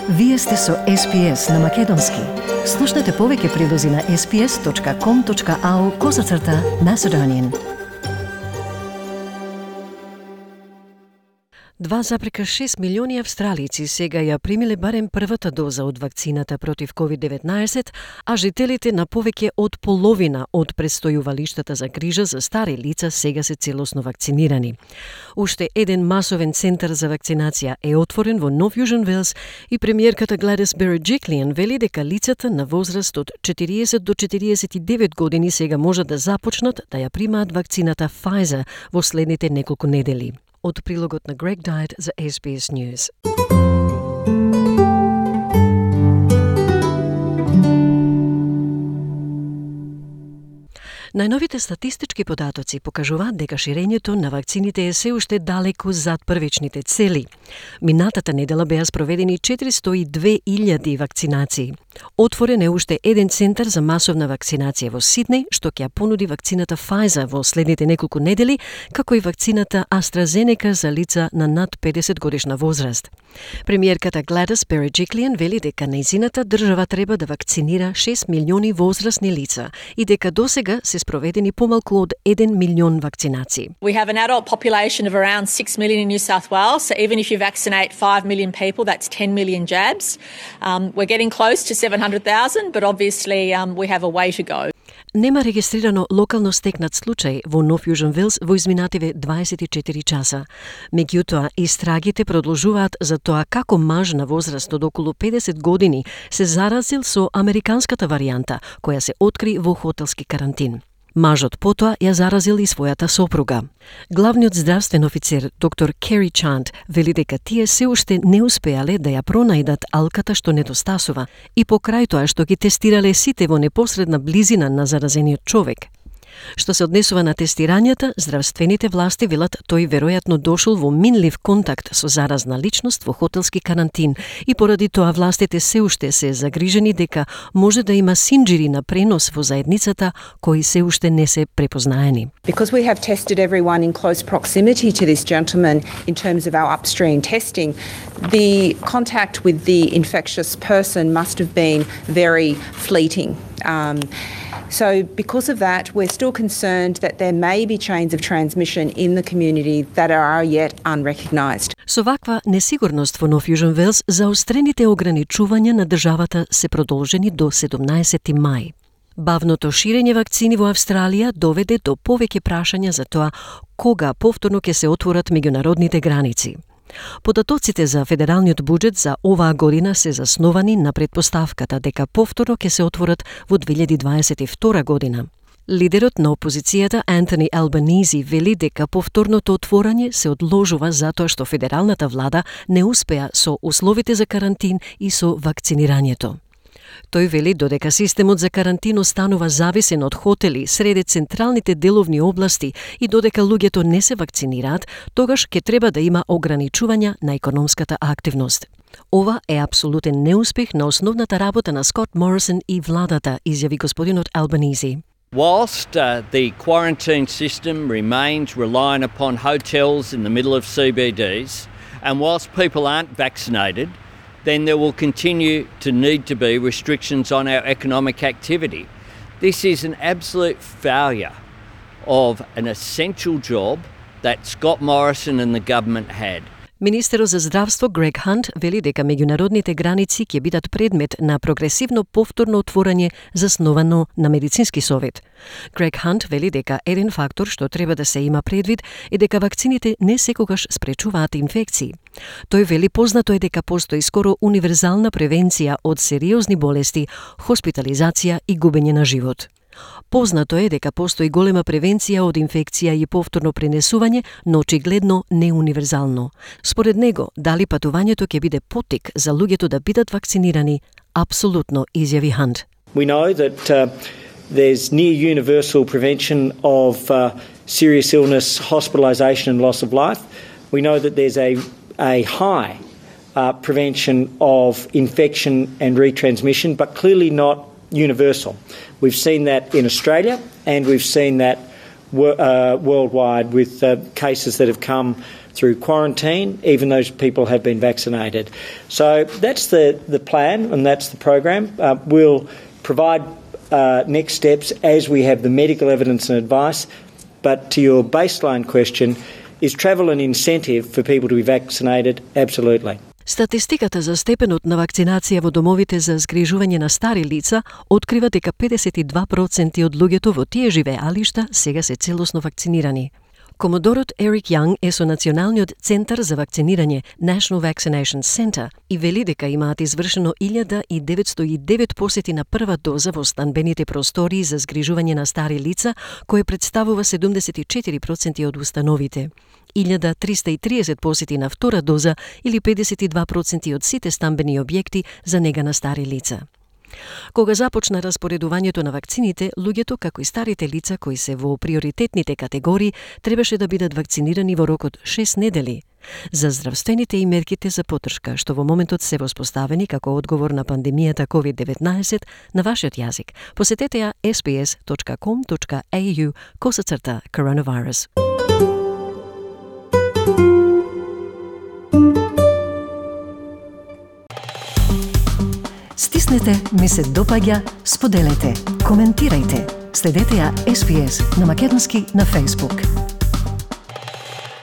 Вие сте со SPS на Македонски. Слушнете повеќе прилози на sps.com.au/Macedonian. 2,6 милиони австралици сега ја примиле барем првата доза од вакцината против COVID-19, а жителите на повеќе од половина од престојувалиштата за грижа за стари лица сега се целосно вакцинирани. Уште еден масовен центар за вакцинација е отворен во Нов Јужен Велс и премиерката Gladys Berejiklian вели дека лицата на возраст од 40 до 49 години сега можат да започнат да ја примаат вакцината Pfizer во следните неколку недели. Од прилогот на Greg Dyett за SBS News. Најновите статистички податоци покажуваат дека ширењето на вакцините е се уште далеку зад првичните цели. Минатата недела беа спроведени 402.000 вакцинации. Отворен е уште еден центар за масовна вакцинација во Сиднеј, што ќе ја понуди вакцината Pfizer во следните неколку недели, како и вакцината AstraZeneca за лица на над 50 годишна возраст. Премиерката Gladys Berejiklian вели дека нејзината држава треба да вакцинира 6 милиони возрастни лица и дека досега се спроведени помалку од 1 милион вакцинации. We have an adult population of around 6 million in New South Wales, so even if you vaccinate 5 million people, that's 10 million jabs. We're getting close to 700,000, but obviously we have a way to go. Нема регистрирано локално стекнат случај во Нов Јужен Велс во изминативе 24 часа. Меѓутоа, истрагите продолжуваат за тоа како маж на возраст од околу 50 години се заразил со американската варијанта, која се откри во хотелски карантин. Мажот потоа ја заразил и својата сопруга. Главниот здравствен офицер, доктор Кери Чант, вели дека тие се уште не успеале да ја пронајдат алката што недостасува и покрај тоа што ги тестирале сите во непосредна близина на заразениот човек. Што се однесува на тестирањата, здравствените власти велат тој веројатно дошол во минлив контакт со заразна личност во хотелски карантин и поради тоа властите се уште се загрижени дека може да има синџири на пренос во заедницата кои се уште не се препознаени. Because we have tested everyone in close proximity to this gentleman in terms of our upstream testing, the contact with the infectious person must have been very fleeting. So because of that, we're still concerned that there may be chains of transmission in the community that are yet unrecognised. Со ваква несигурност во Нов Јужен Велс, заострените ограничувања на државата се продолжени до 17 мај. Бавното ширење вакцини во Австралија доведе до повеќе прашања за тоа кога повторно ќе се отворат меѓународните граници. Податоците за федералниот буџет за оваа година се засновани на претпоставката дека повторно ќе се отворат во 2022 година. Лидерот на опозицијата Антони Албанизи вели дека повторното отворање се одложува затоа што федералната влада не успеа со условите за карантин и со вакцинирањето. Тој вели додека системот за карантин останува зависен од хотели среде централните деловни области и додека луѓето не се вакцинираат, тогаш ќе треба да има ограничувања на економската активност. Ова е апсолутен неуспех на основната работа на Скот Морисон и владата, изјави господинот Албанизи. Whilst the quarantine system remains reliant upon hotels in the middle of CBDs, and whilst people aren't vaccinated, then there will continue to need to be restrictions on our economic activity. This is an absolute failure of an essential job that Scott Morrison and the government had. Министерот за здравство Грег Хант вели дека меѓународните граници ќе бидат предмет на прогресивно повторно отворање засновано на медицински совет. Грег Хант вели дека еден фактор што треба да се има предвид е дека вакцините не секогаш спречуваат инфекции. Тој вели познато е дека постои скоро универзална превенција од сериозни болести, хоспитализација и губење на живот. Познато е дека постои голема превенција од инфекција и повторно пренесување, но очигледно не универзално. Според него, дали патувањето ќе биде поттик за луѓето да бидат вакцинирани, апсолутно, изјави Хант. We know that there's near universal prevention of serious illness, hospitalisation and loss of life. We know that there's a high prevention of infection and retransmission, but clearly not universal. We've seen that in Australia and we've seen that worldwide with cases that have come through quarantine, even those people have been vaccinated. So that's the plan and that's the program. We'll provide next steps as we have the medical evidence and advice. But to your baseline question, is travel an incentive for people to be vaccinated? Absolutely. Статистиката за степенот на вакцинација во домовите за згрижување на стари лица открива дека 52% од луѓето во тие живеалишта сега се целосно вакцинирани. Комодорот Ерик Јанг е со Националниот центар за вакцинирање National Vaccination Center и вели дека имаат извршено 1909 посети на прва доза во станбените простории за згрижување на стари лица, кое представува 74% од установите. 1330 посети на втора доза или 52% од сите станбени објекти за нега на стари лица. Кога започна распоредувањето на вакцините, луѓето, како и старите лица кои се во приоритетните категории, требаше да бидат вакцинирани во рок од 6 недели. За здравствените и мерките за поддршка, што во моментот се воспоставени како одговор на пандемијата COVID-19 на вашиот јазик, посетете ја sbs.com.au/coronavirus. Стиснете, ми се допаѓа, споделете, коментирајте. Следете ја SBS на македонски на Facebook.